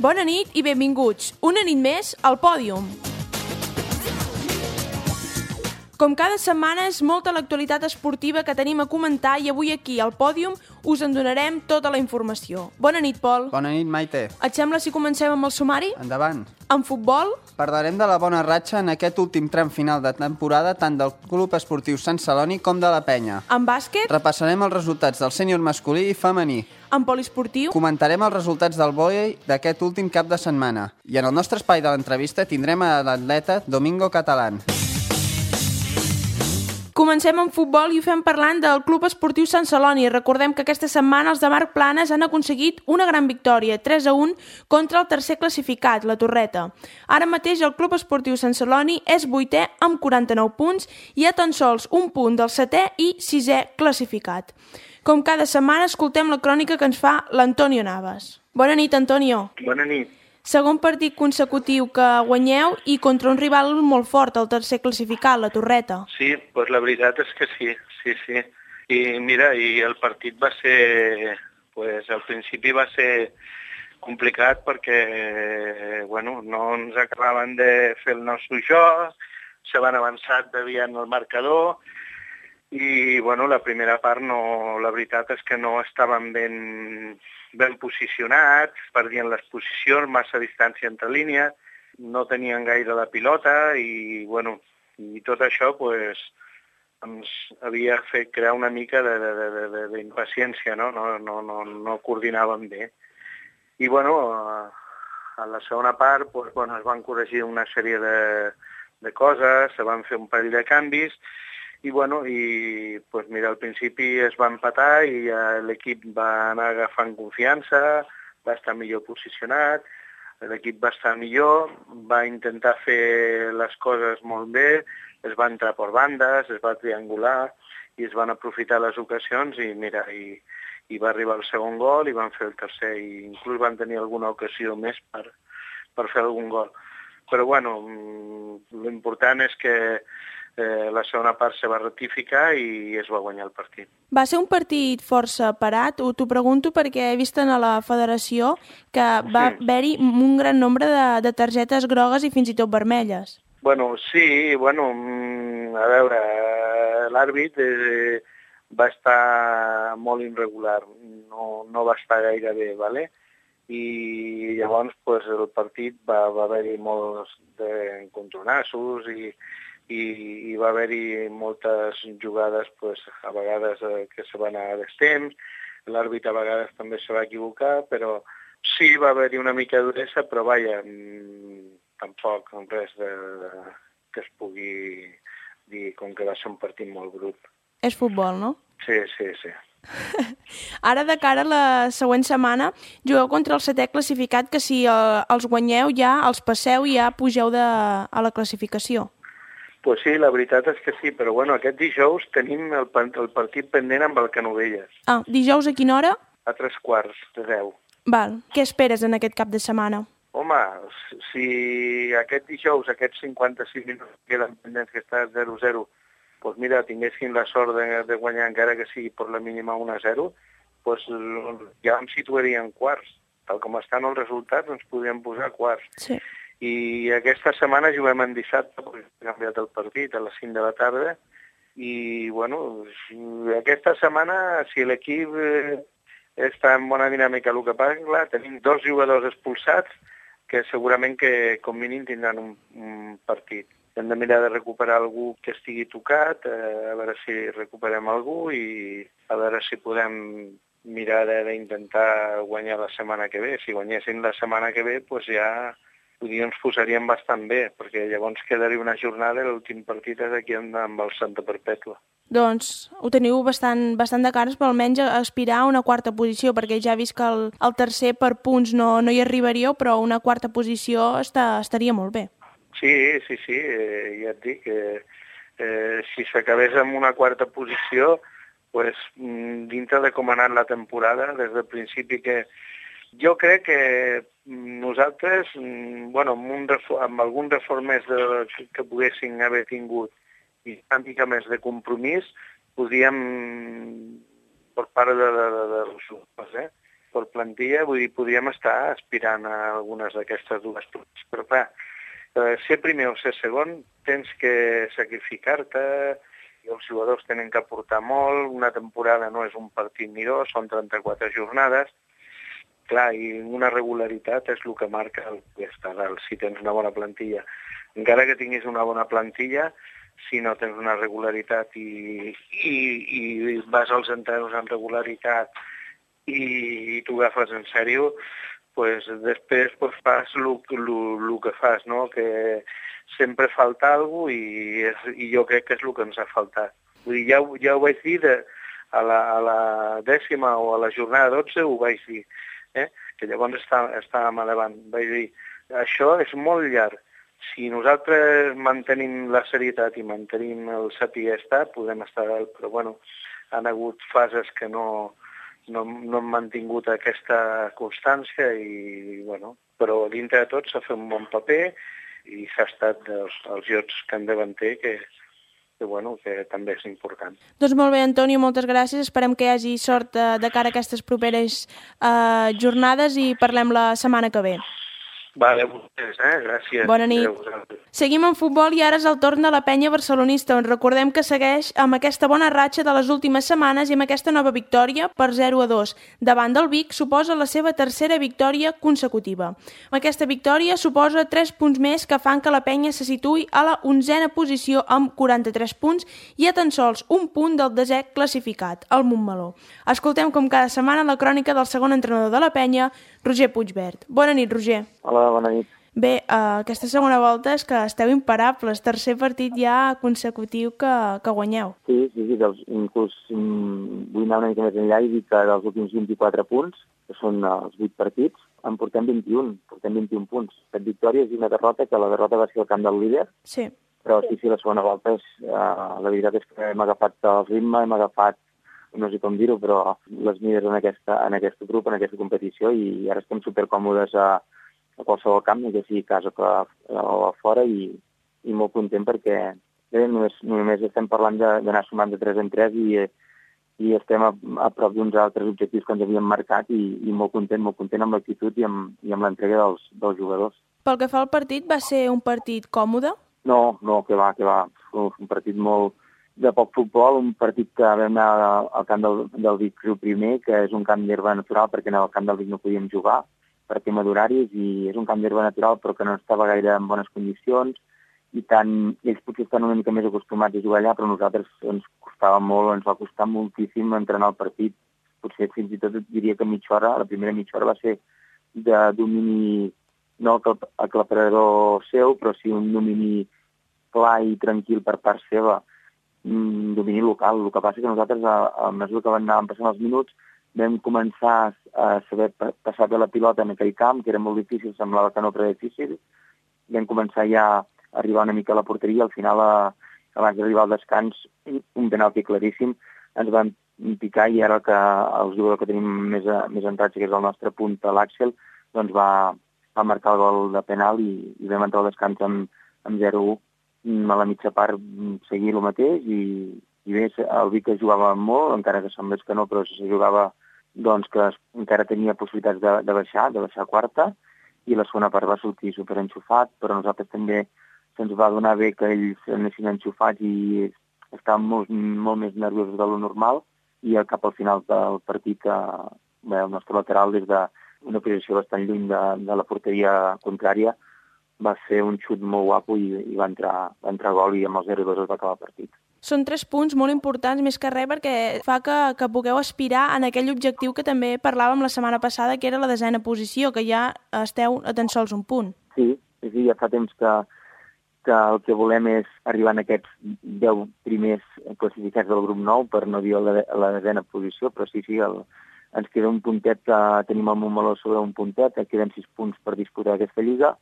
Bona nit i benvinguts. Una nit més al Pòdium. Com cada setmana és molta l'actualitat esportiva que tenim a comentar i avui aquí al Pòdium us en donarem tota la informació. Bona nit, Pol. Bona nit, Maite. Et sembla si comencem amb el sumari? Endavant. En futbol? Parlarem de la bona ratxa en aquest últim tram final de temporada tant del Club Esportiu Sant Celoni com de la Penya. En bàsquet? Repassarem els resultats del sènior masculí i femení. En poliesportiu? Comentarem els resultats del vòlei d'aquest últim cap de setmana. I en el nostre espai de l'entrevista tindrem a l'atleta Domingo Catalán. Comencem amb futbol i ho fem parlant del Club Esportiu Sant Celoni. Recordem que aquesta setmana els de Marc Planes han aconseguit una gran victòria, 3-1, contra el tercer classificat, la Torreta. Ara mateix el Club Esportiu Sant Celoni és 8è amb 49 punts i a tan sols un punt del 7è i 6è classificat. Com cada setmana escoltem la crònica que ens fa l'Antonio Navas. Bona nit, Antonio. Bona nit. Segon partit consecutiu que guanyeu i contra un rival molt fort, el tercer classificat, la Torreta. Sí, doncs la veritat és que sí. I mira, i el partit va ser, al principi va ser complicat perquè, no ens acabaven de fer el nostre joc, se van avançar deviant el marcador i, la primera part la veritat és que no estaven ben posicionats, perdien les posicions, massa distància entre línies, no tenien gaire la pilota i tot això ens havia fet crear una mica d'impaciència, no coordinàvem bé. I a la segona part es van corregir una sèrie de coses, se van fer un parell de canvis i al principi es va empatar i l'equip va anar agafant confiança, va estar millor posicionat, l'equip va estar millor, va intentar fer les coses molt bé, es va entrar per bandes, es va triangular i es van aprofitar les ocasions i va arribar el segon gol i van fer el tercer i inclús van tenir alguna ocasió més per fer algun gol. Però l'important és que la segona part se va rectificar i es va guanyar el partit. Va ser un partit força parat? T'ho pregunto perquè he vist a la federació que va haver-hi un gran nombre de targetes grogues i fins i tot vermelles. Sí, a veure, l'àrbit va estar molt irregular, no va estar gaire bé, ¿vale? I llavors el partit va haver-hi molts encontronassos i va haver-hi moltes jugades a vegades que se van anar a destemps, l'àrbit a vegades també se va equivocar, però sí va haver-hi una mica de duresa, però tampoc res que es pugui dir com que va ser un partit molt brut. És futbol, no? Sí. Ara, de cara a la següent setmana, jugueu contra el 7è classificat, que si els guanyeu ja, els passeu i ja pugeu a la classificació. Pues sí, la veritat és que sí, però aquest dijous tenim el partit pendent amb el Canovelles. Dijous a quina hora? A 3:15. Val. Què esperes en aquest cap de setmana? Home, si aquest dijous, aquests 56 minuts que queden pendents, que està 0-0, doncs mira, tinguessin la sort de guanyar encara que sigui per la mínima 1-0, ja em situaríem quarts. Tal com estan els resultats, ens podríem posar quarts. Sí. I aquesta setmana juguem en dissabte, perquè hem canviat el partit a les 5 de la tarda, i aquesta setmana, si l'equip està en bona dinàmica, el que passa, clar, tenim 2 jugadors expulsats que segurament que com mínim tindran un partit. Hem de mirar de recuperar algú que estigui tocat, a veure si recuperem algú i a veure si podem mirar d'intentar guanyar la setmana que ve. Si guanyessin la setmana que ve, ja ens posaríem bastant bé, perquè llavors quedaria una jornada i l'últim partit és aquí amb el Santa Perpètua. Doncs ho teniu bastant de cares, però almenys aspirar a una quarta posició, perquè ja he vist que el tercer per punts no hi arribaríeu, però una quarta posició estaria molt bé. Sí, ja et dic que si s'acabés amb una quarta posició, dintre de com ha anat la temporada, des del principi que jo crec que nosaltres, amb algun reforç més que poguessin haver tingut i una mica més de compromís, podíem, per part dels jugadors, per plantilla, vull dir, podríem estar aspirant a algunes d'aquestes dues places. Però clar, ser primer o ser segon tens que sacrificar-te i els jugadors tenen que aportar molt. Una temporada no és un partit ni dos, són 34 jornades. Clar, i una regularitat és el que marca el estar dalt, si tens una bona plantilla. Encara que tinguis una bona plantilla, si no tens una regularitat i vas als entrenos amb regularitat i t'ho agafes en sèrio, pues després pues, fas el que fas, no? Que sempre falta alguna cosa i jo crec que és el que ens ha faltat. Vull dir, ja ho vaig dir a la 10ª o a la jornada 12, ho vaig dir, que llavors estàvem a davant. Vaig dir, això és molt llarg. Si nosaltres mantenim la serietat i mantenim el saber estar, podem estar dalt, però bueno, han hagut fases que no han mantingut aquesta constància i, bueno, però dintre de tot s'ha fet un bon paper i s'ha estat els llocs que en davanter que també és important. Doncs molt bé, Antonio, moltes gràcies. Esperem que hi hagi sort de cara a aquestes properes jornades i parlem la setmana que ve. Vale, vostès, gràcies. Bona nit. Seguim en futbol i ara és el torn de la penya barcelonista, on recordem que segueix amb aquesta bona ratxa de les últimes setmanes i amb aquesta nova victòria per 0-2. Davant del Vic suposa la seva tercera victòria consecutiva. Aquesta victòria suposa 3 punts més que fan que la penya se situï a la 11a posició amb 43 punts i a tan sols un punt del 10è classificat, el Montmeló. Escoltem com cada setmana la crònica del segon entrenador de la penya, Roger Puigvert. Bona nit, Roger. Hola, bona nit. Bé, aquesta segona volta és que esteu imparables. Tercer partit ja consecutiu que guanyeu. Sí, inclús vull anar una mica més enllà i dir que dels últims 24 punts, que són els 8 partits, en portem 21 punts. 7 victòries i una derrota, que la derrota va ser al camp del líder. Sí. Però sí, la segona volta, la veritat és que hem agafat el ritme, hem agafat, no sé com dir-ho, però les mides en aquest grup, en aquesta competició, i ara estem supercòmodes a qualsevol camp, ja sigui a casa o a fora, i molt content perquè només estem parlant d'anar sumant de 3 en 3 i estem a prop d'uns altres objectius que ens havíem marcat i molt content amb l'actitud i amb l'entrega dels jugadors. Pel que fa al partit, va ser un partit còmode? No, que va. Un partit molt de poc futbol, un partit que vam anar al camp del Vic Riu primer, que és un camp d'herba natural perquè en el camp del Vic no podíem jugar per tema d'horaris, i és un camp d'herba natural però que no estava gaire en bones condicions, i tant ells potser estan una mica més acostumats a jugar allà, però nosaltres ens va costar moltíssim entrenar el partit. Potser fins i tot diria que la primera mitja hora va ser de domini, no aclaparador seu, però sí un domini clar i tranquil per part seva, domini local. El que passa que nosaltres, a mesura que anàvem passant els minuts, vam començar a saber passar bé la pilota en aquell camp, que era molt difícil, semblava que no, però difícil. Vam començar ja a arribar una mica a la porteria. Al final, abans d'arribar al descans, un penalti claríssim, ens van picar, i ara que el jugador que tenim més en ratxa, que és el nostre punt, l'Àxel, doncs va marcar el gol de penal i vam entrar al descans amb 0-1. A la mitja part seguir el mateix, i bé, el Vic jugava molt, encara que semblés que no, però si se jugava, doncs que encara tenia possibilitats de baixar a quarta, i la segona part va sortir superenxufat, però nosaltres també se'ns va donar bé que ells anessin enxufats i estàvem molt més nerviosos de lo normal, i cap al final del partit el nostre lateral, des d'una posició bastant lluny de la porteria contrària, va fer un xut molt guapo i va entrar gol, i amb el 0-2 es va acabar el partit. Són 3 punts molt importants, més que res, perquè fa que pugueu aspirar en aquell objectiu que també parlàvem la setmana passada, que era la 10a posició, que ja esteu a tan sols un punt. Sí, ja fa temps que el que volem és arribar en aquests 10 primers classificats del grup 9, per no dir la 10a posició, però sí, ens queda un puntet, tenim el Montmeló sobre un puntet, queden 6 punts per disputar aquesta lliga,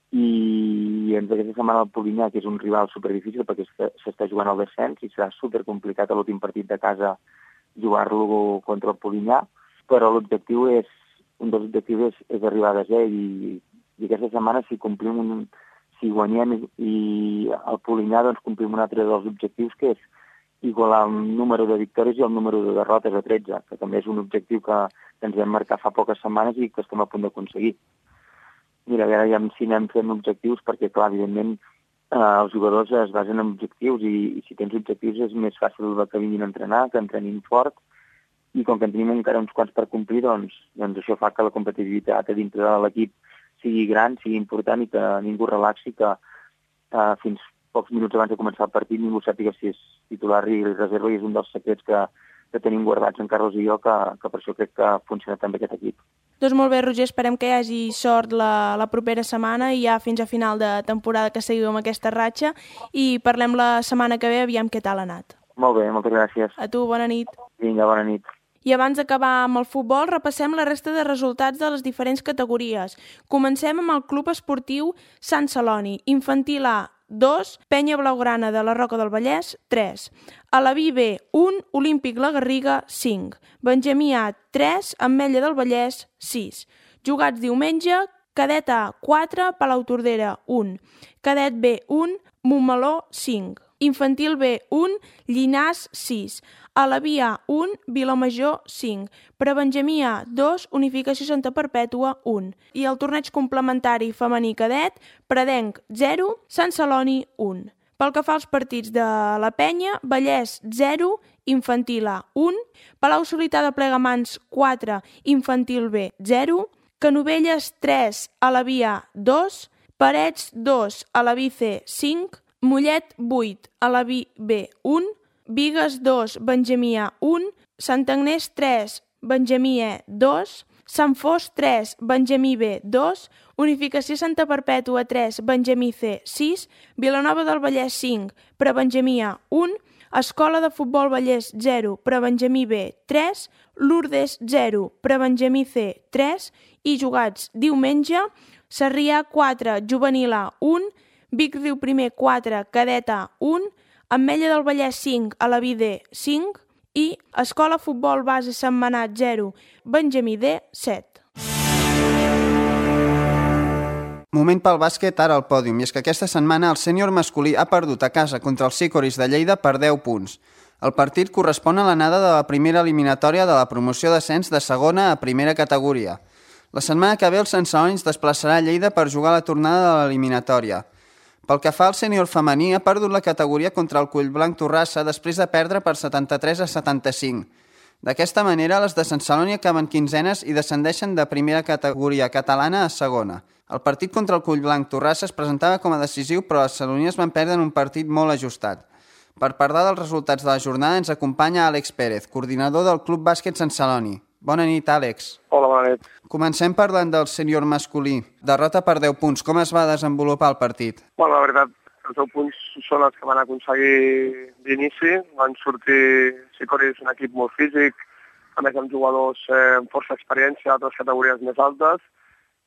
i aquesta setmana el Polinyà, que és un rival superdifícil perquè s'està jugant al descens i serà supercomplicat a l'últim partit de casa jugar-lo contra el Polinyà, però un dels objectius és arribar a 10è, i aquesta setmana si guanyem i el Polinyà, doncs complim un altre dels objectius, que igualar el número de victòries i el número de derrotes a 13, que també és un objectiu que ens vam marcar fa poques setmanes i que estem a punt d'aconseguir. Mira, a veure ja si anem fent objectius, perquè, clar, evidentment, els jugadors es basen en objectius i si tens objectius és més fàcil que vinguin a entrenar, que entrenin fort, i com que en tenim encara uns quants per complir, doncs això fa que la competitivitat a dintre de l'equip sigui gran, sigui important i que ningú relaxi, que fins pocs minuts abans de començar el partit ningú sàpiga si és titular i reserva, i és un dels secrets que tenim guardats en Carlos i jo, que per això crec que funciona tan bé aquest equip. Doncs molt bé, Roger, esperem que hi hagi sort la propera setmana i ja fins a final de temporada que seguiu amb aquesta ratxa i parlem la setmana que ve, aviam què tal ha anat. Molt bé, moltes gràcies. A tu, bona nit. Vinga, bona nit. I abans d'acabar amb el futbol, repassem la resta de resultats de les diferents categories. Comencem amb el Club Esportiu Sant Celoni, Infantil A, 2, Penya Blaugrana de la Roca del Vallès, 3. Alaví B, 1, Olímpic La Garriga, 5. Benjamí A, 3, Ametlla del Vallès, 6. Jugats diumenge, Cadet A, 4, Palautordera, 1. Cadet B, 1, Montmeló, 5. Infantil B, 1, Llinars, 6. Alaví A, 1, Vilamajor, 5. Prebenjamí A, 2, Unificació Santa Perpètua, 1. I el torneig complementari femení cadet, Predenc, 0, Sant Celoni, 1. Pel que fa als partits de la Penya, Vallès, 0, Infantil A, 1. Palau-solità de Plegamans, 4, Infantil B, 0. Canovelles, 3, Alaví A, 2. Parets, 2, Alaví C, 5. Mollet, 8, Alaví B, 1. Bigues, 2, Benjamí A, 1. Sant Agnès, 3, Benjamí E, 2. Sant Fos, 3, Benjamí B, 2. Unificació Santa Perpètua, 3, Benjamí C, 6. Vilanova del Vallès, 5, Prebenjamí A, 1. Escola de Futbol Vallès, 0, Prebenjamí B, 3. Lourdes, 0, Prebenjamí C, 3. I jugats diumenge, Sarrià, 4, Juvenil A, 1. Vic Riu Primer, 4, Cadet A, 1. Ametlla del Vallès, 5, Alaví D, 5. I Escola Futbol Base Sentmenat, 0, Benjamí D, 7. Moment pel bàsquet, ara al pòdium, i és que aquesta setmana el sènior masculí ha perdut a casa contra els Sicoris de Lleida per 10 punts. El partit correspon a l'anada de la primera eliminatòria de la promoció d'ascens de segona a primera categoria. La setmana que ve el Sant Celoni es desplaçarà a Lleida per jugar la tornada de l'eliminatòria. Pel que fa al sènior femení, ha perdut la categoria contra el Collblanc Torrassa després de perdre per 73 a 75. D'aquesta manera, les de Sant Celoni acaben quinzenes i descendeixen de primera categoria catalana a segona. El partit contra el Collblanc Torrassa es presentava com a decisiu, però les celonies van perdre en un partit molt ajustat. Per parlar dels resultats de la jornada ens acompanya Àlex Pérez, coordinador del Club Bàsquet Sant Celoni. Bona nit, Àlex. Hola, bona nit. Comencem parlant del sènior masculí. Derrota per 10 punts. Com es va desenvolupar el partit? Bueno, la veritat, els 10 punts són els que van aconseguir d'inici. Van sortir Sicoris, un equip molt físic, a més amb jugadors amb força experiència d'altres categories més altes,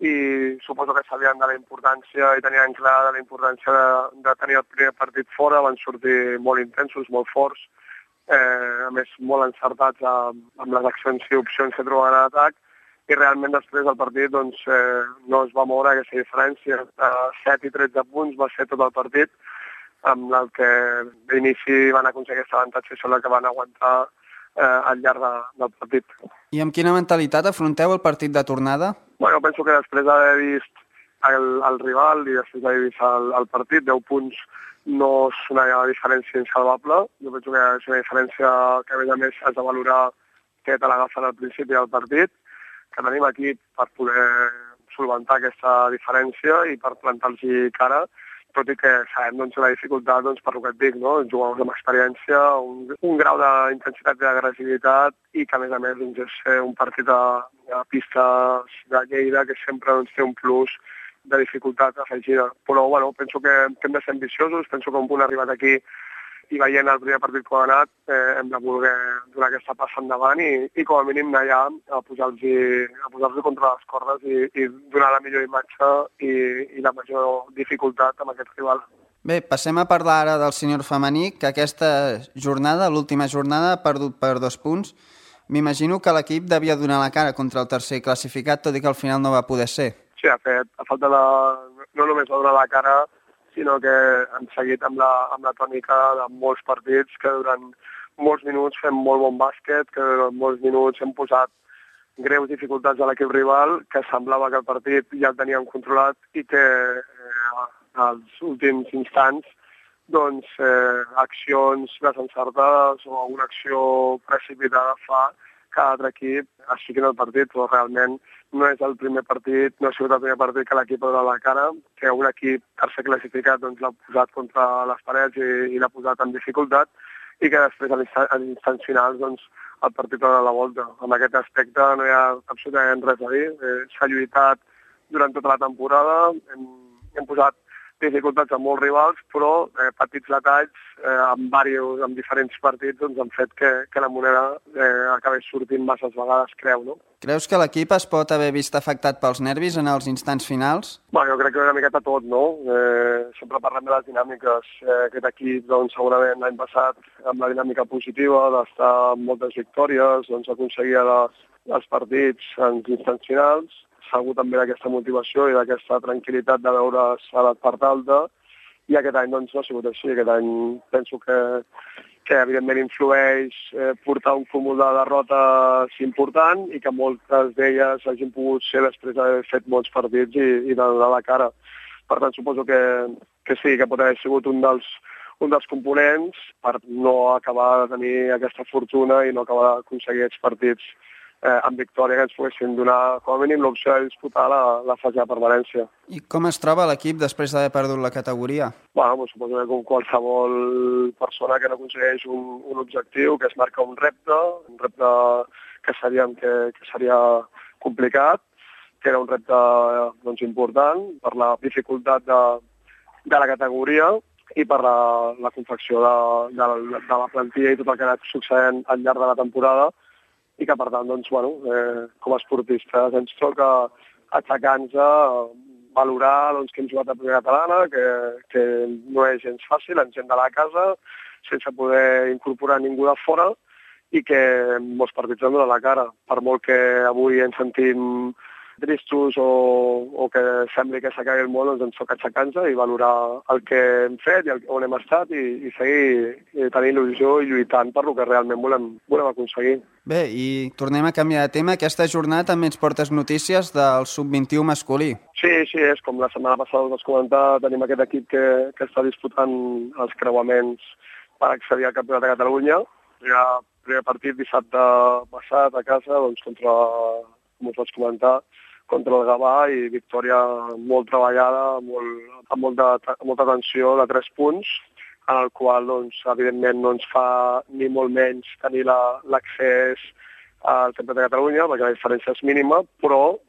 i suposo que sabien de la importància i tenien clar de la importància de tenir el primer partit fora. Van sortir molt intensos, molt forts, a més molt encertats amb les accions i opcions que trobaven a l'atac, i realment després del partit no es va moure aquesta diferència. 7 i 13 punts va ser tot el partit, amb el que d'inici van aconseguir aquest avantatge i són el que van aguantar al llarg del partit. I amb quina mentalitat afronteu el partit de tornada? Bueno, penso que després d'haver vist el rival i després d'haver vist el partit, 10 punts no és una diferència insalvable. Jo penso que és una diferència que, a més, has de valorar que te l'agafen al principi del partit, que tenim equip per poder solventar aquesta diferència i per plantar-los cara, tot i que sabem la dificultat per el que et dic, jugadors amb experiència, un grau d'intensitat i d'agressivitat, i que, a més, és un partit a pistes de Lleida que sempre té un plus de dificultat afegida. Però penso que hem de ser ambiciosos, penso que un punt arribat aquí i veient el primer partit com ha anat, hem de voler donar aquesta passa endavant i com a mínim anar allà a posar-los contra les cordes i donar la millor imatge i la major dificultat amb aquest rival. Bé, passem a parlar ara del sènior femení, que aquesta jornada, l'última jornada, ha perdut per 2 punts. M'imagino que l'equip devia donar la cara contra el tercer classificat, tot i que al final no va poder ser. Sí, de fet, a falta no només de donar la cara, sinó que han seguit amb la tònica de molts partits, que durant molts minuts fem molt bon bàsquet, que durant molts minuts hem posat greus dificultats a l'equip rival, que semblava que el partit ja el teníem controlat i que als últims instants doncs, accions desencertades o una acció precipitada fa que l'altre equip estigui en el partit, però realment no és el primer partit, no ha sigut el primer partit que l'equip ha donat la cara, que un equip tercer classificat doncs, l'ha posat contra les parets i l'ha posat en dificultat, i que després a l'instants finals doncs, el partit ha donat la volta. En aquest aspecte no hi ha absolutament res a dir. S'ha lluitat durant tota la temporada, hem posat dificultats a molts rivals, però petits detalls amb diferents partits doncs, han fet que la moneda acabés sortint masses vegades, creu, no? Creus que l'equip es pot haver vist afectat pels nervis en els instants finals? Jo crec que una miqueta tot, no? Sempre parlem de les dinàmiques. Aquest equip, doncs, segurament l'any passat, amb la dinàmica positiva d'estar amb moltes victòries, doncs aconseguia els partits en instants finals. Segur també d'aquesta motivació i d'aquesta tranquil·litat de veure's a la part alta, i aquest any doncs, no ha sigut així. Aquest any penso que evidentment influeix portar un cúmul de derrotes important i que moltes d'elles hagin pogut ser després d'haver fet molts partits i de donar la cara. Per tant, suposo que sí, que pot haver sigut un dels components per no acabar de tenir aquesta fortuna i no acabar d'aconseguir aquests partits amb victòria que ens poguessin donar com a mínim l'opció de disputar la fase de permanència. I com es troba l'equip després d'haver perdut la categoria? Suposo que com qualsevol persona que no aconsegueix un objectiu, que es marca un repte que sabíem que seria complicat, que era un repte doncs, important per la dificultat de la categoria i per la confecció de la plantilla i tot el que ha anat succeint al llarg de la temporada, i que, per tant, doncs, com a esportistes ens toca aixecar-nos, valorar doncs, que hem jugat a primera catalana, que no és gens fàcil, ens hem d'anar a casa sense poder incorporar ningú de fora i que molts partits han donat la cara. Per molt que avui ens sentim tristos o que sembli que s'acabi el món, doncs ens toca aixecar-nos i valorar el que hem fet i on hem estat i seguir tenint il·lusió i lluitant per el que realment volem aconseguir. Bé, i tornem a canviar de tema. Aquesta jornada també ens portes notícies del sub-21 masculí. Sí, és com la setmana passada us vaig comentar, tenim aquest equip que està disputant els creuaments per accedir al Campionat de Catalunya. El primer partit dissabte passat a casa, doncs, com us vaig comentar, contra el Gavà, i victòria molt treballada, amb molta tensió de 3 punts, en el qual, doncs, evidentment, no ens fa ni molt menys tenir l'accés al Campionat de Catalunya, perquè la diferència és mínima, però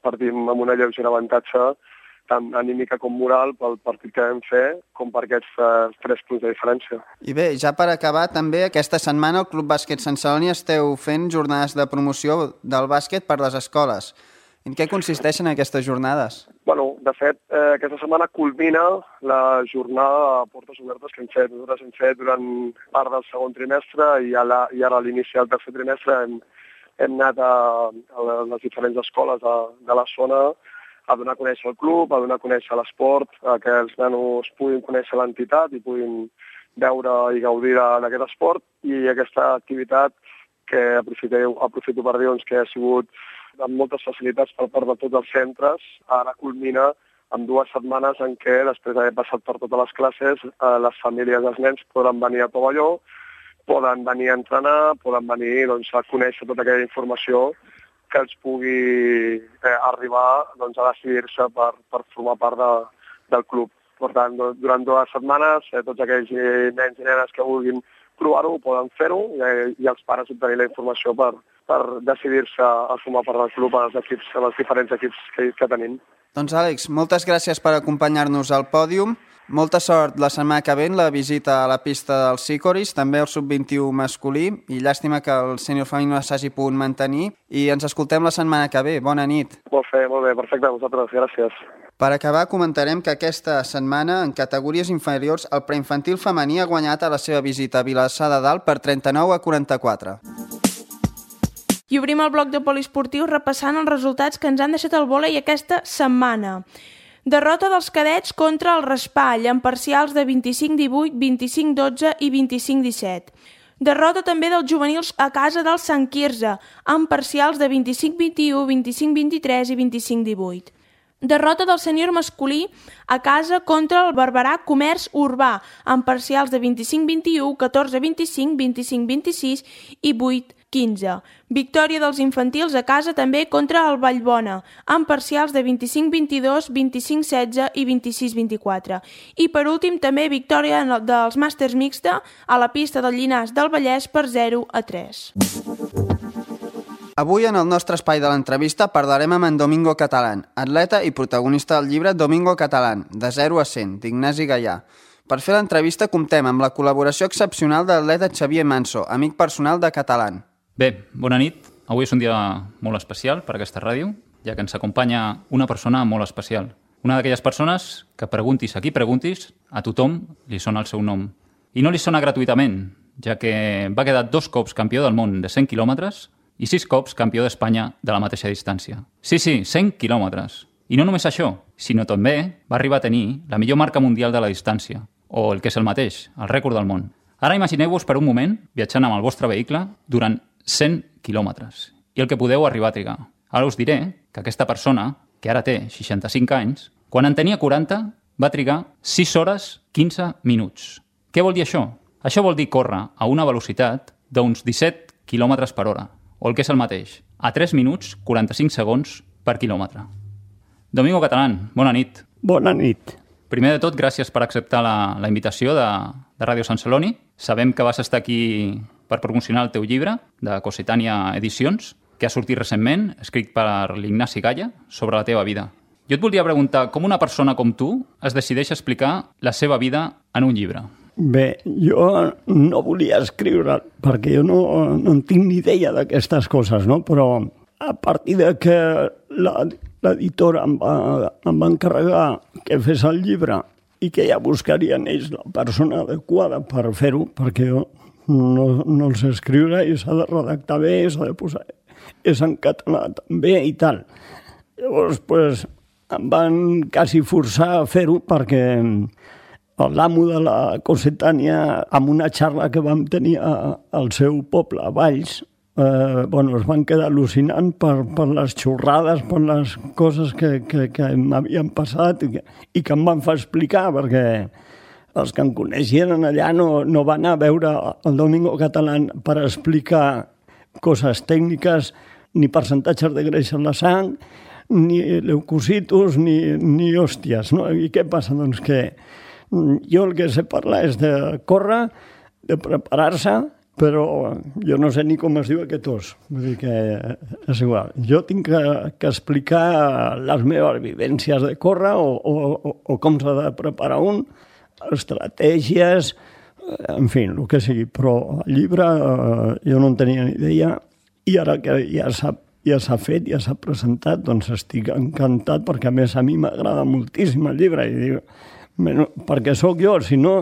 partim amb una lleugera avantatge tant anímica com moral pel partit que vam fer, com per aquests 3 punts de diferència. I bé, ja per acabar, també aquesta setmana al Club Bàsquet Sant Celoni esteu fent jornades de promoció del bàsquet per les escoles. En què consisteixen aquestes jornades? De fet, aquesta setmana culmina la jornada de portes obertes que hem fet. Nosaltres hem fet durant part del segon trimestre i ara a l'inici del tercer trimestre hem anat a les diferents escoles de la zona a donar a conèixer el club, a donar a conèixer l'esport, a que els nanos puguin conèixer l'entitat i puguin veure i gaudir d'aquest esport. I aquesta activitat, que aprofito per dir que ha sigut amb moltes facilitats per part de tots els centres, ara culmina amb 2 setmanes en què, després d'haver passat per totes les classes, les famílies dels nens poden venir a Tovalló, poden venir a entrenar, poden venir a conèixer tota aquella informació que els pugui arribar a decidir-se per formar part del club. Per tant, durant 2 setmanes, tots aquells nens i nenes que vulguin provar-ho poden fer-ho i els pares obtenir la informació per decidir-se a formar part del club als diferents equips que tenim. Doncs Àlex, moltes gràcies per acompanyar-nos al pòdium. Molta sort la setmana que ve en la visita a la pista dels Sikoris, també el sub-21 masculí, i llàstima que el sènior femení no s'hagi pogut mantenir. I ens escoltem la setmana que ve. Bona nit. Molt bé, perfecte, a vosaltres, gràcies. Per acabar, comentarem que aquesta setmana, en categories inferiors, el preinfantil femení ha guanyat a la seva visita a Vilassar de Dalt per 39-44. I obrim el bloc de poliesportius repassant els resultats que ens han deixat el vòlei aquesta setmana. Derrota dels cadets contra el Raspall, amb parcials de 25-18, 25-12 i 25-17. Derrota també dels juvenils a casa del Sant Quirze, amb parcials de 25-21, 25-23 i 25-18. Derrota del sènior masculí a casa contra el Barberà Comerç Urbà, amb parcials de 25-21, 14-25, 25-26 i 8-15. Victòria dels infantils a casa també contra el Vallbona, amb parcials de 25-22, 25-16 i 26-24. I per últim també victòria dels màsters mixta a la pista del Llinars del Vallès per 0-3. Avui, en el nostre espai de l'entrevista, parlarem amb en Domingo Catalán, atleta i protagonista del llibre Domingo Catalán, de 0 a 100, d'Ignasi Gaià. Per fer l'entrevista comptem amb la col·laboració excepcional de l'atleta Xavier Manso, amic personal de Catalán. Bé, bona nit. Avui és un dia molt especial per a aquesta ràdio, ja que ens acompanya una persona molt especial. Una d'aquelles persones que preguntis a qui preguntis, a tothom li sona el seu nom. I no li sona gratuïtament, ja que va quedar 2 cops campió del món de 100 quilòmetres i 6 cops campió d'Espanya de la mateixa distància. Sí, 100 quilòmetres. I no només això, sinó també va arribar a tenir la millor marca mundial de la distància, o el que és el mateix, el rècord del món. Ara imagineu-vos per un moment viatjant amb el vostre vehicle durant 100 quilòmetres i el que podeu arribar a trigar. Ara us diré que aquesta persona, que ara té 65 anys, quan en tenia 40 va trigar 6 hores 15 minuts. Què vol dir això? Això vol dir córrer a una velocitat d'uns 17 quilòmetres per hora, o el que és el mateix, a 3 minuts 45 segons per quilòmetre. Domingo Catalán, bona nit. Bona nit. Primer de tot, gràcies per acceptar la invitació de Ràdio Sant Celoni. Sabem que vas estar aquí per promocionar el teu llibre, de Cossetània Edicions, que ha sortit recentment, escrit per l'Ignasi Gaià, sobre la teva vida. Jo et voldria preguntar com una persona com tu es decideix explicar la seva vida en un llibre. Bé, jo no volia escriure perquè jo no en tinc ni idea d'aquestes coses, no? Però a partir de que l'editora em va encarregar que fes el llibre i que ja buscarien ells la persona adequada per fer-ho, perquè jo no el sé escriure i s'ha de redactar bé, s'ha de posar... És en català també i tal. Llavors, pues, em van quasi forçar a fer-ho perquè l'amo de la Cossetània, amb una xarra que vam tenir al seu poble, a Valls, es van quedar al·lucinant per les xorrades, per les coses que m'havien passat i que em van fer explicar, perquè els que em coneixien allà no van a veure el Domingo Catalán per explicar coses tècniques, ni percentatges de greix en la sang, ni leucocitos, ni hòsties. No? I què passa? Doncs que jo el que sé parlar és de córrer, de preparar-se, però jo no sé ni com es diu aquest os. Vull dir que és igual. Jo tinc que explicar les meves vivències de córrer o com s'ha de preparar un, estratègies, en fi, el que sigui. Però el llibre jo no en tenia ni idea i ara que ja s'ha fet, ja s'ha presentat, doncs estic encantat perquè a més a mi m'agrada moltíssim el llibre i dic, perquè sóc jo, si no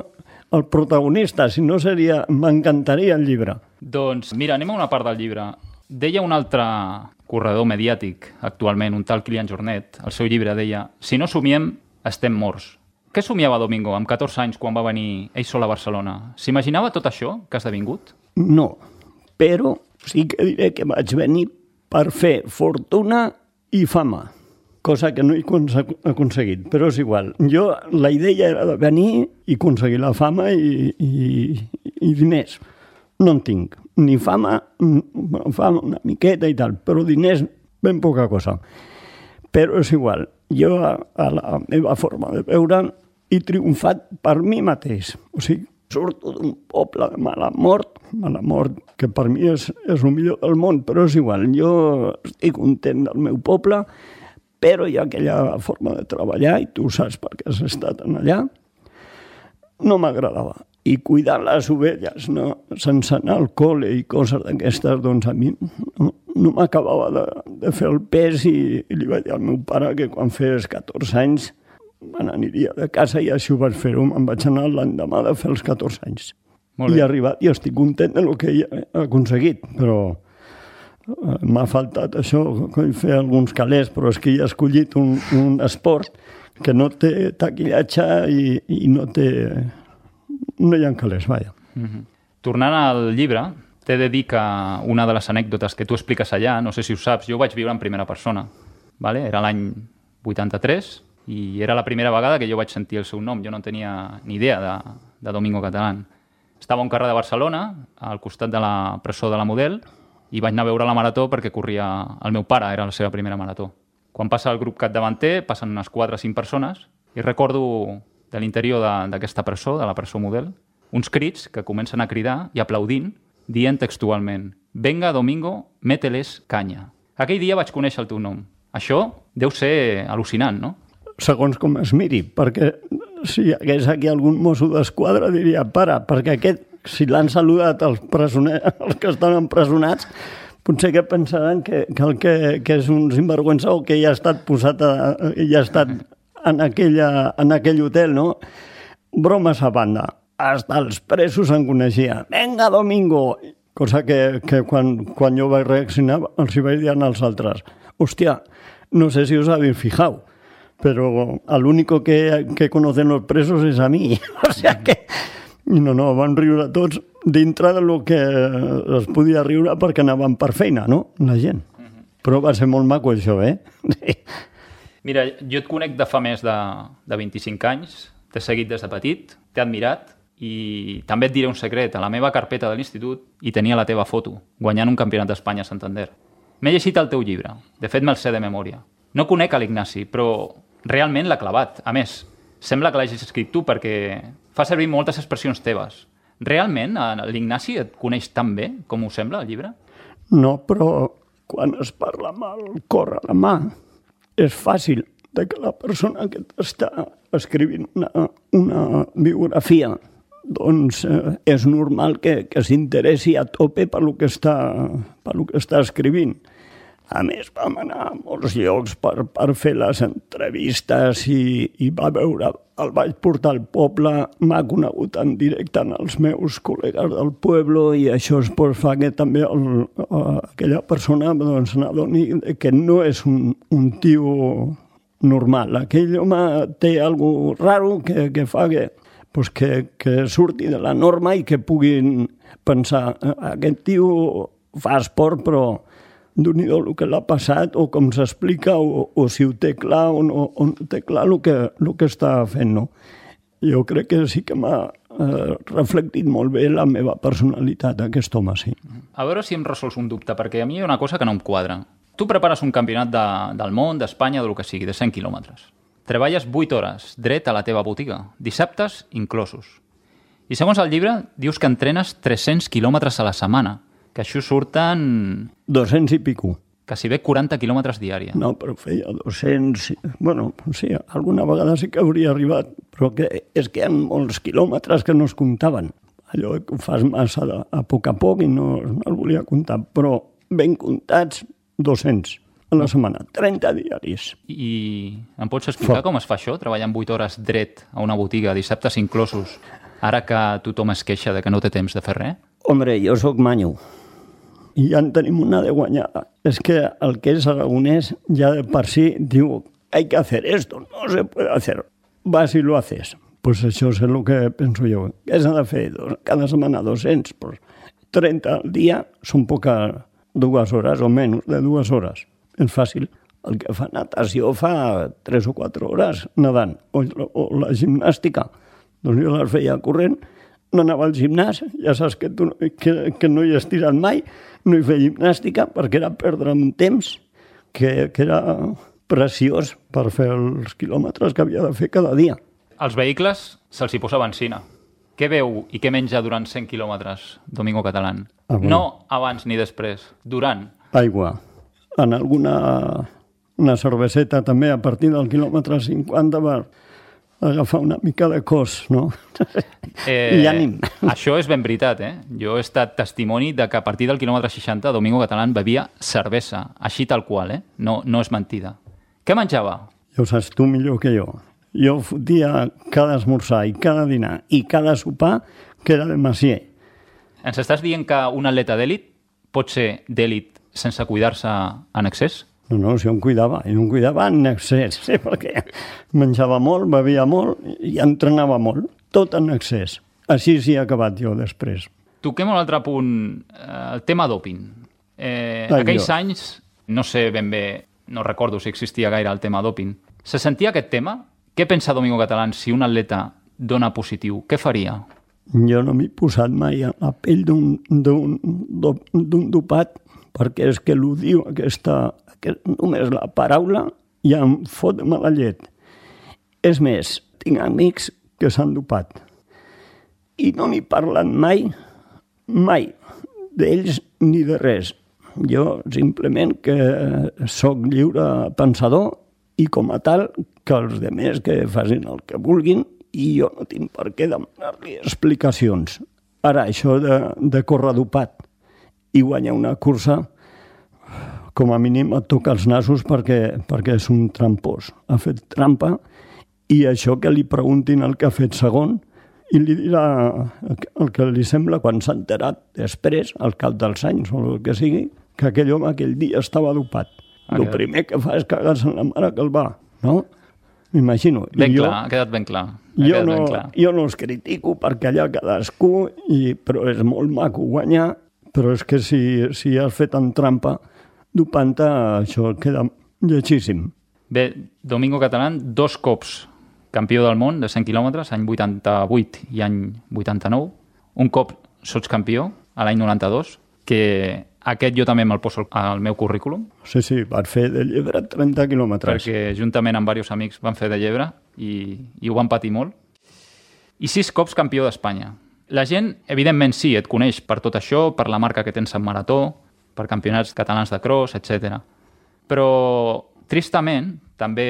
el protagonista, si no seria, m'encantaria el llibre. Doncs mira, anem a una part del llibre. Deia un altre corredor mediàtic actualment, un tal Kilian Jornet, el seu llibre deia: si no somiem, estem morts. Què somiava Domingo amb 14 anys quan va venir ell sol a Barcelona? S'imaginava tot això que ha esdevingut? No, però sí que diré que vaig venir per fer fortuna i fama, cosa que no he aconseguit, però és igual. Jo, la idea era de venir i aconseguir la fama i diners. No en tinc, ni fama una miqueta i tal, però diners ben poca cosa. Però és igual, jo a la meva forma de veure he triomfat per mi mateix. O sigui, surto d'un poble de mala mort, que per mi és el millor del món, però és igual, jo estic content del meu poble, però hi ha aquella forma de treballar, i tu saps perquè has estat allà, no m'agradava. I cuidar les ovelles, sense anar al col·le i coses d'aquestes, doncs a mi no m'acabava de fer el pes i li vaig dir al meu pare que quan fes 14 anys me n'aniria de casa i així ho vaig fer-ho. Me'n vaig anar l'endemà de fer els 14 anys. I he arribat i estic content del que he aconseguit, però m'ha faltat això, fer alguns calés, però és que he escollit un esport que no té taquillatge i no hi ha calés, vaja. Tornant al llibre, t'he de dir que una de les anècdotes que tu expliques allà, no sé si ho saps, jo ho vaig viure en primera persona. Vale? Era l'any 83 i era la primera vegada que jo vaig sentir el seu nom. Jo no tenia ni idea de Domingo Catalán. Estava a un carrer de Barcelona, al costat de la presó de la Model, i vaig anar a veure la marató perquè corria el meu pare, era la seva primera marató. Quan passa el grup capdavanter, passen unes 4 o 5 persones, i recordo de l'interior d'aquesta presó, de la presó Model, uns crits que comencen a cridar i aplaudint, dient textualment «Venga, Domingo, mételes canya». Aquell dia vaig conèixer el teu nom. Això deu ser al·lucinant, no? Segons com es miri, perquè si hi hagués aquí algun mosso d'esquadra diria «Para», perquè aquest, si l'han saludat els que estan empresonats, potser que pensaran que és un sinvergüenza o que ja ha estat posat ja ha estat en aquell hotel, no? Bromes a banda. Hasta els presos en coneixia. «Venga, Domingo!» Cosa que quan jo vaig reaccionar els hi vaig dir als altres. Hòstia, no sé si us habéis fijado, pero al único que conocen los presos es a mí. O sea que... No, van riure tots dintre del que es podia riure perquè anaven per feina, no? La gent. Però va ser molt maco això, Sí. Mira, jo et conec de fa més de 25 anys, t'he seguit des de petit, t'he admirat i també et diré un secret. A la meva carpeta de l'institut hi tenia la teva foto, guanyant un campionat d'Espanya a Santander. M'he llegit el teu llibre, de fet me'l sé de memòria. No conec a l'Ignasi, però realment l'ha clavat. A més, sembla que l'hagis escrit tu perquè fa servir moltes expressions teves. Realment l'Ignasi et coneix tan bé com ho sembla, el llibre? No, però quan es parla amb el cor a la mà és fàcil que la persona que t'està escrivint una biografia doncs és normal que s'interessi a tope per lo que està escrivint. A més, vam anar a molts llocs per fer les entrevistes i el vaig portar al poble, m'ha conegut en directe en els meus col·legues del poble i això fa que també aquella persona n'adoni que no és un tio normal. Aquell home té alguna cosa raro que fa que surti de la norma i que puguin pensar aquest tio fa esport però d'un el que l'ha passat o com s'explica o si ho té clar o no té clar el que està fent. No? Jo crec que sí que m'ha reflectit molt bé la meva personalitat, aquest home, sí. A veure si em resols un dubte, perquè a mi hi ha una cosa que no em quadra. Tu prepares un campionat del món, d'Espanya, del que sigui, de 100 quilòmetres. Treballes 8 hores, dret a la teva botiga, dissabtes inclosos. I segons el llibre, dius que entrenes 300 quilòmetres a la setmana, que això surten... 200 i pico. Quasi bé 40 quilòmetres diària. No, però feia 200... Bueno, sí, alguna vegada sí que hauria arribat, però és que hi ha molts quilòmetres que no es comptaven. Allò que ho fas massa a poc i no el volia comptar, però ben comptats 200 a la setmana, 30 diaris. I em pots explicar com es fa això, treballant 8 hores dret a una botiga, dissabtes inclosos, ara que tothom es queixa de que no té temps de fer res? Hombre, jo sóc manyo. I ja en tenim una de guanyada. És que el que és aragonès ja de per si diu hay que hacer esto, no se puede hacer. Vas y lo haces. Pues això és el que penso jo. Què s'ha de fer? Cada setmana 200. Pues 30 al dia són poques 2 hores o menys de 2 hores. És fàcil. El que fa natació fa 3 o 4 hores nedant. O la gimnàstica. Doncs jo les feia corrent, no anava al gimnàs, ja saps que no hi he estirat mai, no hi feia gimnàstica perquè era perdre un temps que era preciós per fer els quilòmetres que havia de fer cada dia. Als vehicles se'ls hi posa benzina. Què beu i què menja durant 100 quilòmetres, Domingo Catalán? No abans ni després, durant. Aigua. En una cerveseta també a partir del quilòmetre 50 per agafar una mica de cos, no? I ànim. Això és ben veritat, Jo he estat testimoni de que a partir del quilòmetre 60 Domingo Catalán bevia cervesa, així tal qual, No és mentida. Què menjava? Ja ho saps tu millor que jo. Jo fotia cada esmorzar i cada dinar i cada sopar que era de Macier. Ens estàs dient que un atleta d'èlit pot ser d'èlit sense cuidar-se en excés? No, si em cuidava en excés, perquè menjava molt, bevia molt i entrenava molt, tot en excés. Així sí he acabat jo després. Toquem un altre punt, el tema doping. Aquells anys, no sé ben bé, no recordo si existia gaire el tema doping. Se sentia aquest tema? Què pensa Domingo Catalán si un atleta dona positiu? Què faria? Jo no m'he posat mai a la pell d'un dopat, perquè és que l'ho diu només la paraula ja em fot mala llet. És més, tinc amics que s'han dopat i no n'hi parlen mai, d'ells ni de res. Jo simplement que sóc lliure pensador i com a tal que els demés que facin el que vulguin i jo no tinc per què demanar-li explicacions. Ara, això de córrer dopat i guanyar una cursa, com a mínim et toca els nassos perquè és un trampós. Ha fet trampa i això que li preguntin el que ha fet segon i li dirà el que li sembla quan s'ha enterat després, al cap dels anys o el que sigui, que aquell home aquell dia estava dopat. El primer que fa és cagar-se en la mare que el va, no? M'imagino. Ha quedat ben clar. Jo no els critico perquè allà cadascú, però és molt maco guanyar, però és que si has fet en trampa, dopant-te, això queda lletjíssim. Bé, Domingo Catalán, 2 cops campió del món de 100 quilòmetres, any 88 i any 89. Un cop sotscampió, a l'any 92, que aquest jo també me'l poso al meu currículum. Sí, vas fer de llebre 30 quilòmetres. Perquè juntament amb diversos amics van fer de llebre i ho van patir molt. I 6 cops campió d'Espanya. La gent, evidentment sí, et coneix per tot això, per la marca que tens en marató, per campionats catalans de cross, etc. Però, tristament, també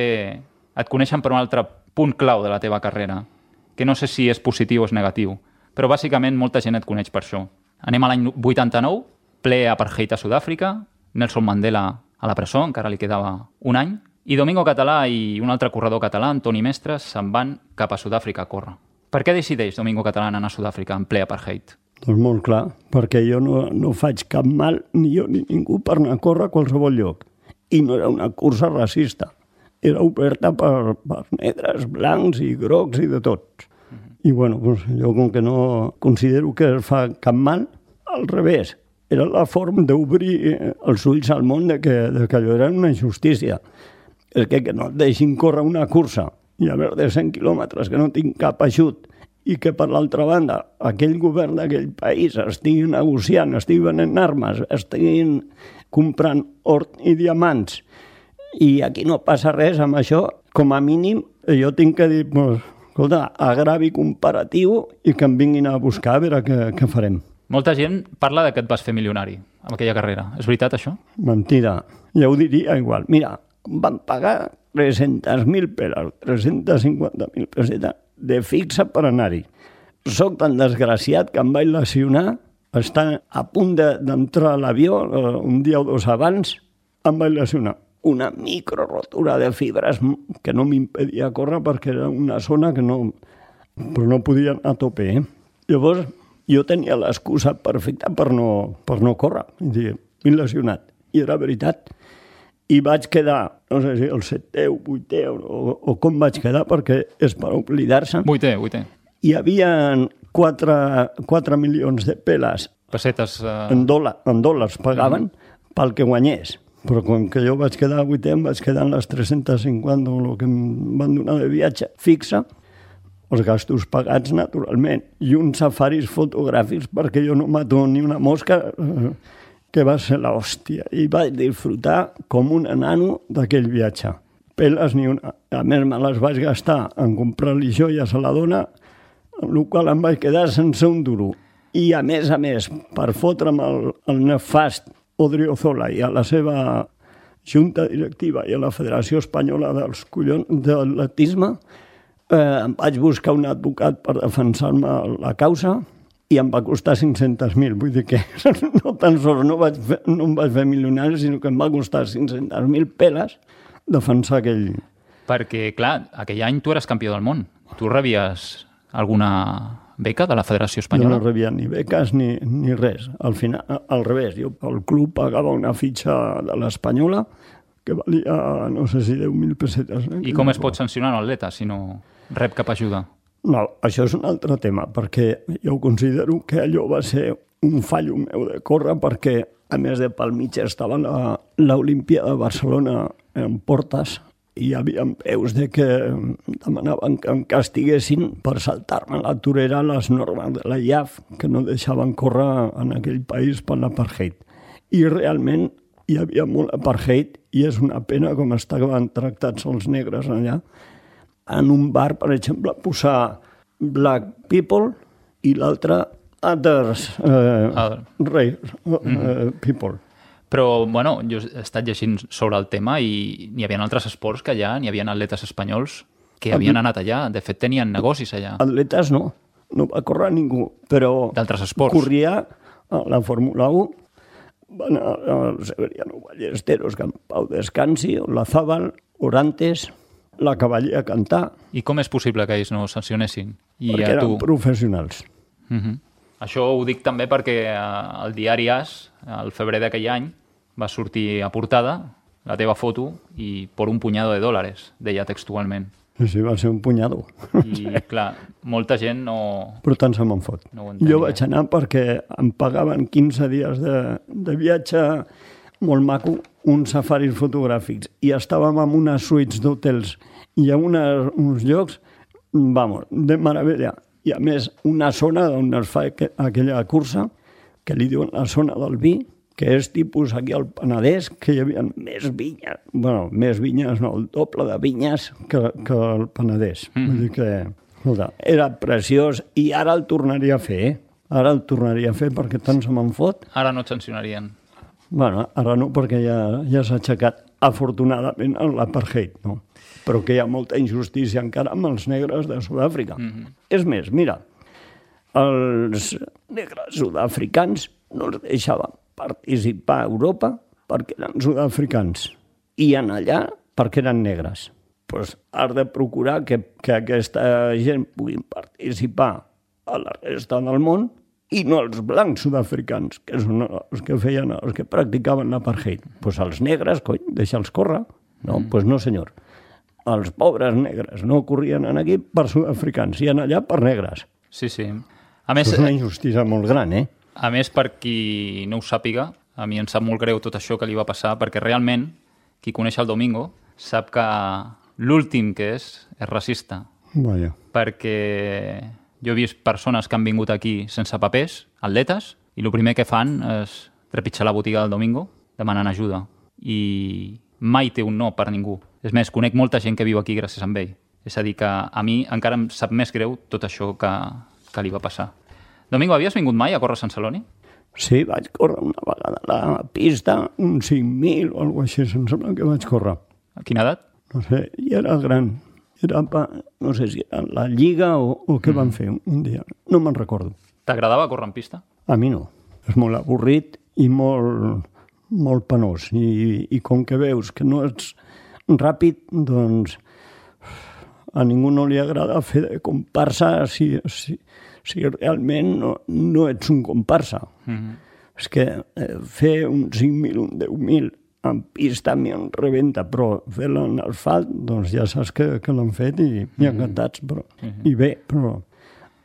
et coneixen per un altre punt clau de la teva carrera, que no sé si és positiu o és negatiu, però bàsicament molta gent et coneix per això. Anem a l'any 89, ple apartheid a Sud-àfrica, Nelson Mandela a la presó, encara li quedava un any, i Domingo Català i un altre corredor català, Antoni Mestres, se'n van cap a Sud-àfrica a córrer. Per què decideix Domingo Catalán anar a Sud-àfrica en ple apartheid? Doncs molt clar, perquè jo no faig cap mal, ni jo ni ningú, per anar a córrer a qualsevol lloc. I no era una cursa racista. Era oberta per negres, blancs i grocs i de tots. I bueno, doncs jo com que no considero que es fa cap mal, al revés. Era la forma d'obrir els ulls al món de que allò era una injustícia. És que no et deixin córrer una cursa i haver de 100 quilòmetres que no tinc cap ajut i que per l'altra banda aquell govern d'aquell país estigui negociant, estigui venent armes, estiguin comprant or i diamants i aquí no passa res amb això, com a mínim jo tinc que dir, escolta, agravi comparatiu i que em vinguin a buscar a veure què farem. Molta gent parla que et vas fer milionari amb aquella carrera. És veritat, això? Mentida. Ja ho diria igual. Mira, em van pagar 300.000 peles, 350.000 pessetes de fixa per anar-hi. Soc tan desgraciat que em vaig lesionar, estar a punt d'entrar a l'avió, un dia o 2 abans, em vaig lesionar. Una microrotura de fibres que no m'impedia córrer perquè era una zona que no... però no podia anar a tope, Llavors, jo tenia l'excusa perfecta per no córrer. M'he lesionat. I era veritat. I vaig quedar, no sé si el 7è o 8è o com vaig quedar, perquè és per oblidar-se. 8è. Hi havia 4 milions de peles. Pessetes. En dòlars pagaven pel que guanyés. Però com que jo vaig quedar 8è, em vaig quedar en les 350 o el que em van donar de viatge fixa, els gastos pagats naturalment, i uns safaris fotogràfics perquè jo no mato ni una mosca, que va ser l'hòstia. I vaig disfrutar com un enano d'aquell viatge. Peles ni una. A més, me les vaig gastar en comprar-li joies a la dona, amb la qual em vaig quedar sense un duro. I a més, per fotre'm el nefast Odriozola i a la seva junta directiva i a la Federació Espanyola dels Collons d'Atletisme, em vaig buscar un advocat per defensar-me la causa i em va costar 500.000. Vull dir que no tan sols no em vaig fer milionari, sinó que em va costar 500.000 peles defensar aquell... Perquè, clar, aquell any tu eres campió del món. Tu rebies alguna beca de la Federació Espanyola? Jo no rebia ni beques ni res. Al final, al revés, el club pagava una fitxa de l'Espanyola, que valia, no sé si 10.000 pessetes. I com es pot sancionar un atleta si no rep cap ajuda? No, això és un altre tema, perquè jo considero que allò va ser un fallo meu de córrer, perquè, a més de pel mig, estava l'Olimpíada de Barcelona en portes i hi havia veus de que demanaven que em castiguessin per saltar-me a la torera les normes de la IAF, que no deixaven córrer en aquell país per l'apartheid. I realment hi havia molt apartheid i és una pena com estaven tractats els negres allà. En un bar, per exemple, posar black people i l'altre others people. Però, bueno, jo he estat llegint sobre el tema i n'hi havia altres esports que allà, n'hi havia atletes espanyols que havien anat allà. De fet, tenien negocis allà. Atletes no va córrer ningú, però d'altres esports. Corria a la Fórmula 1, van a Severiano Ballesteros, que en Pau Descansi, Olazábal, Orantes, la Cavaller a cantar. I com és possible que ells no sancionessin? Perquè eren professionals. Això ho dic també perquè el diari AS, al febrer d'aquell any, va sortir a portada la teva foto i por un puñado de dólares, deia textualment. Sí, va ser un punyado. I, clar, molta gent no... Però tant se me'n fot. No jo vaig anar perquè em pagaven 15 dies de viatge molt maco, uns safaris fotogràfics, i estàvem en unes suites d'hotels i a uns llocs, vamos, de meravella. I a més, una zona on es fa aquella cursa, que li diuen la zona del vi, que és tipus aquí al Penedès, que hi havia més vinyes, bueno, més vinyes, no, el doble de vinyes que el Penedès. Vull dir que, escolta, era preciós i ara el tornaria a fer, Ara el tornaria a fer perquè tant se me'n fot. Ara no et sancionarien. Bueno, ara no, perquè ja s'ha aixecat, afortunadament, l'apartheid, no? Però que hi ha molta injustícia encara amb els negres de Sud-àfrica. És més, mira, els negres sud-africans no els deixaven participar a Europa perquè eren sud-africans i en allà perquè eren negres. Pues has de procurar que aquesta gent puguin participar a la resta del món i no els blancs sud-africans, que són els que feien, els que practicaven l'apartheid. Pues els negres, cony, deixa'ls córrer. No, pues no, senyor. Els pobres negres no corrien aquí per sud-africans, i en allà per negres. Sí, sí. A més, és una injustícia molt gran, eh? A més, per qui no ho sàpiga, a mi em sap molt greu tot això que li va passar, perquè realment, qui coneix el Domingo, sap que l'últim que és racista. Vaja. Perquè jo he vist persones que han vingut aquí sense papers, atletes, i el primer que fan és trepitjar la botiga del Domingo demanant ajuda. I mai té un no per ningú. És més, conec molta gent que viu aquí gràcies a ell. És a dir, que a mi encara em sap més greu tot això que li va passar. Domingo, havies vingut mai a córrer a Sant Celoni? Sí, vaig córrer una vegada a la pista, un 5.000 o alguna cosa així, em sembla que vaig córrer. A quina edat? No sé, i era gran. Era, no sé si era la Lliga o què van fer un dia. No me'n recordo. T'agradava córrer en pista? A mi no. És molt avorrit i molt penós. I com que veus que no ets ràpid, doncs a ningú no li agrada fer de comparsa si realment no ets un comparsa. És que fer un 5.000, un 10.000 en pista a mi em rebenta, però fer-la en asfalt, doncs ja saps que l'han fet i encantats. I bé, però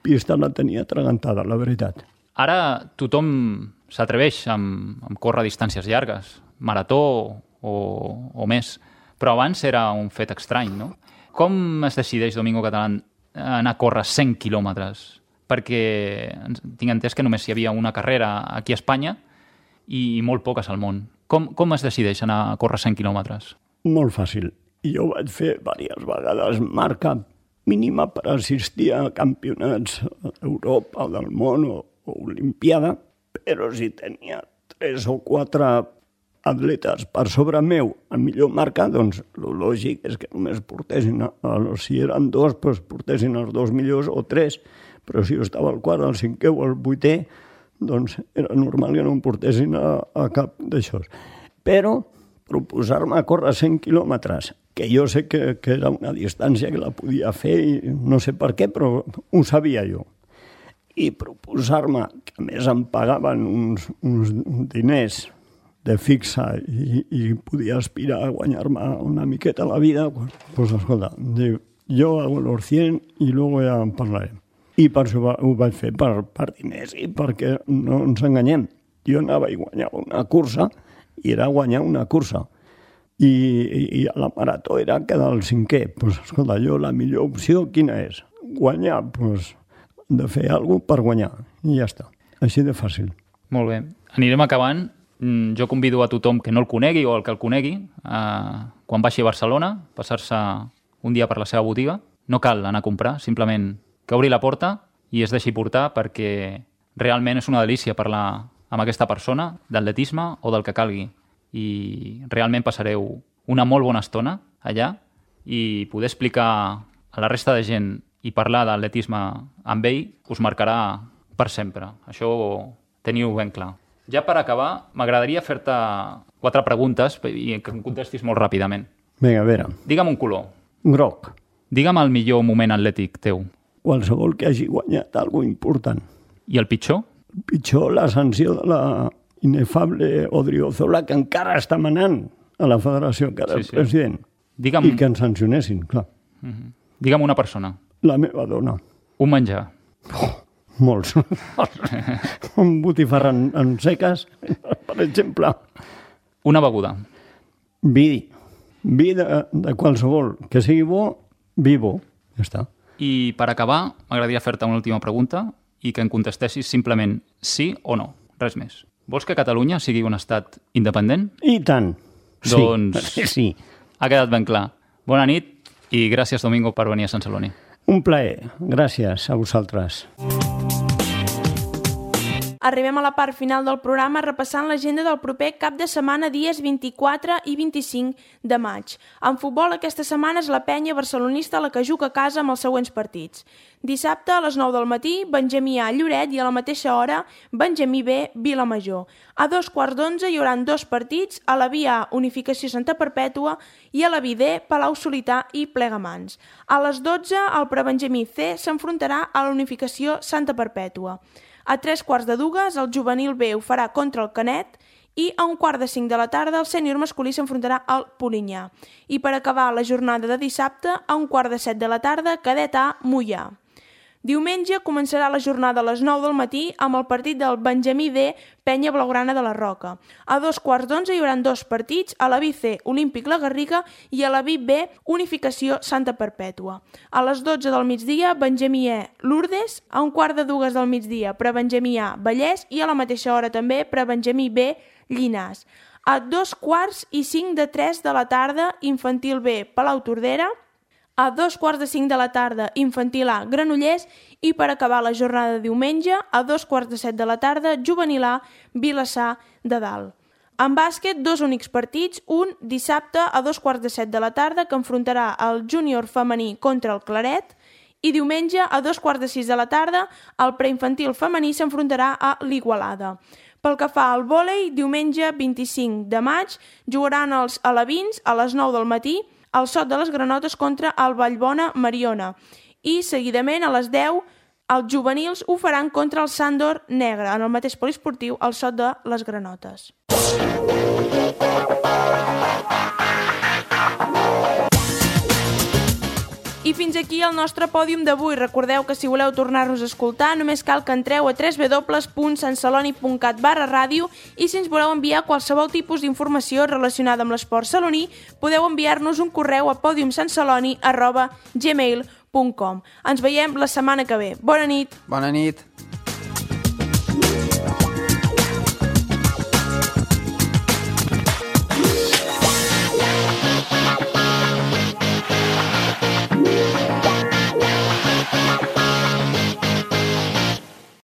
pista la tenia atragantada, la veritat. Ara tothom s'atreveix amb córrer distàncies llargues, marató o més, però abans era un fet estrany, no? Com es decideix, Domingo Catalán, anar a córrer 100 quilòmetres? Perquè tinc entès que només hi havia una carrera aquí a Espanya i molt poques al món. Com es decideix anar a córrer 100 quilòmetres? Molt fàcil. Jo vaig fer diverses vegades marca mínima per assistir a campionats d'Europa o del món o Olimpiada, però si tenia 3 o 4 atletes per sobre meu a millor marca, doncs el lògic és que només portessin, si eren 2, doncs portessin els 2 millors o 3, però si jo estava al quart, al 5è o al 8è, doncs era normal que no em portessin a cap d'això. Però proposar-me a córrer 100 quilòmetres, que jo sé que era una distància que la podia fer i no sé per què, però ho sabia jo. I proposar-me, que a més em pagaven uns diners de fixa i podia aspirar a guanyar-me una miqueta la vida, pues escolta, diu, jo hago los 100 i luego ja en parlarem. I per això ho vaig fer, per diners i perquè no ens enganyem. Jo anava i guanyava una cursa i era guanyar una cursa. I a la marató era quedar al 5è. Pues escolta, jo la millor opció quina és? Guanyar, pues de fer alguna cosa per guanyar i ja està. Així de fàcil. Molt bé. Anirem acabant. Jo convido a tothom que no el conegui o el que el conegui quan baixi a Barcelona, passar-se un dia per la seva botiga. No cal anar a comprar, simplement que obri la porta i es deixi portar perquè realment és una delícia parlar amb aquesta persona d'atletisme o del que calgui. I realment passareu una molt bona estona allà i poder explicar a la resta de gent i parlar d'atletisme amb ell us marcarà per sempre. Això ho teniu ben clar. Ja per acabar, m'agradaria fer-te 4 preguntes i que em contestis molt ràpidament. Vinga, a veure. Digue'm un color. Groc. Digue'm el millor moment atlètic teu. Qualsevol que hagi guanyat alguna important. I el pitjor? El pitjor, la sanció de la inefable Odriozola, que encara està manant a la federació, que era el president. Digue'm... I que ens sancionessin, clar. Digue'm una persona. La meva dona. Un menjar. Molts. Un botifarra en seques, per exemple. Una beguda. Vi. Vi de qualsevol. Que sigui bo, vi bo. Ja està. I per acabar, m'agradaria fer-te una última pregunta i que em contestessis simplement sí o no. Res més. Vols que Catalunya sigui un estat independent? I tant. Doncs sí. Ha quedat ben clar. Bona nit i gràcies, Domingo, per venir a Sant Celoni. Un plaer. Gràcies a vosaltres. Arribem a la part final del programa repassant l'agenda del proper cap de setmana dies 24 i 25 de maig. En futbol aquesta setmana és la penya barcelonista la que juga a casa amb els següents partits. Dissabte a les 9 del matí, Benjamí A, Lloret, i a la mateixa hora, Benjamí B, Vilamajor. A 2:15 hi haurà 2 partits, a la Via A, Unificació Santa Perpètua, i a la Vidé, Palau Solità i Plegamans. A les 12, el Prebenjamí C s'enfrontarà a la Unificació Santa Perpètua. A 3:15, el juvenil B ho farà contra el Canet i a 4:45 de la tarda el sènior masculí s'enfrontarà al Polinyà. I per acabar la jornada de dissabte, a 6:45 de la tarda, cadet A, Moià. Diumenge començarà la jornada a les 9 del matí amb el partit del Benjamí D, Penya Blaugrana de la Roca. A 2:15 hi haurà 2 partits, a la BC Olímpic La Garriga i a la B Unificació Santa Perpètua. A les 12 del migdia, Benjamí E, Lourdes, a 1:45 del migdia, Prebenjamí A, Vallès i a la mateixa hora també, Prebenjamí B, Llinars. A 2:45 de la tarda, Infantil B, Palau Tordera. A 2:45 de la tarda, Infantil A, Granollers, i per acabar la jornada de diumenge, a 2:15 de la tarda, Juvenil A, Vilassar de Dalt. En bàsquet, 2 únics partits, un dissabte a 2:15 de la tarda, que enfrontarà el júnior femení contra el Claret, i diumenge a 2:15 de la tarda, el preinfantil femení s'enfrontarà a l'Igualada. Pel que fa al vòlei, diumenge 25 de maig, jugaran els alevins a les 9 del matí, el Sot de les Granotes contra el Vallbona Mariona. I seguidament a les 10 els juvenils ho faran contra el Sàndor Negre, en el mateix poliesportiu, el Sot de les Granotes. I fins aquí el nostre pòdium d'avui. Recordeu que si voleu tornar-nos a escoltar només cal que entreu a www.santceloni.cat/ràdio i si ens voleu enviar qualsevol tipus d'informació relacionada amb l'esport saloní podeu enviar-nos un correu a podiumsantceloni@gmail.com. Ens veiem la setmana que ve. Bona nit! Bona nit!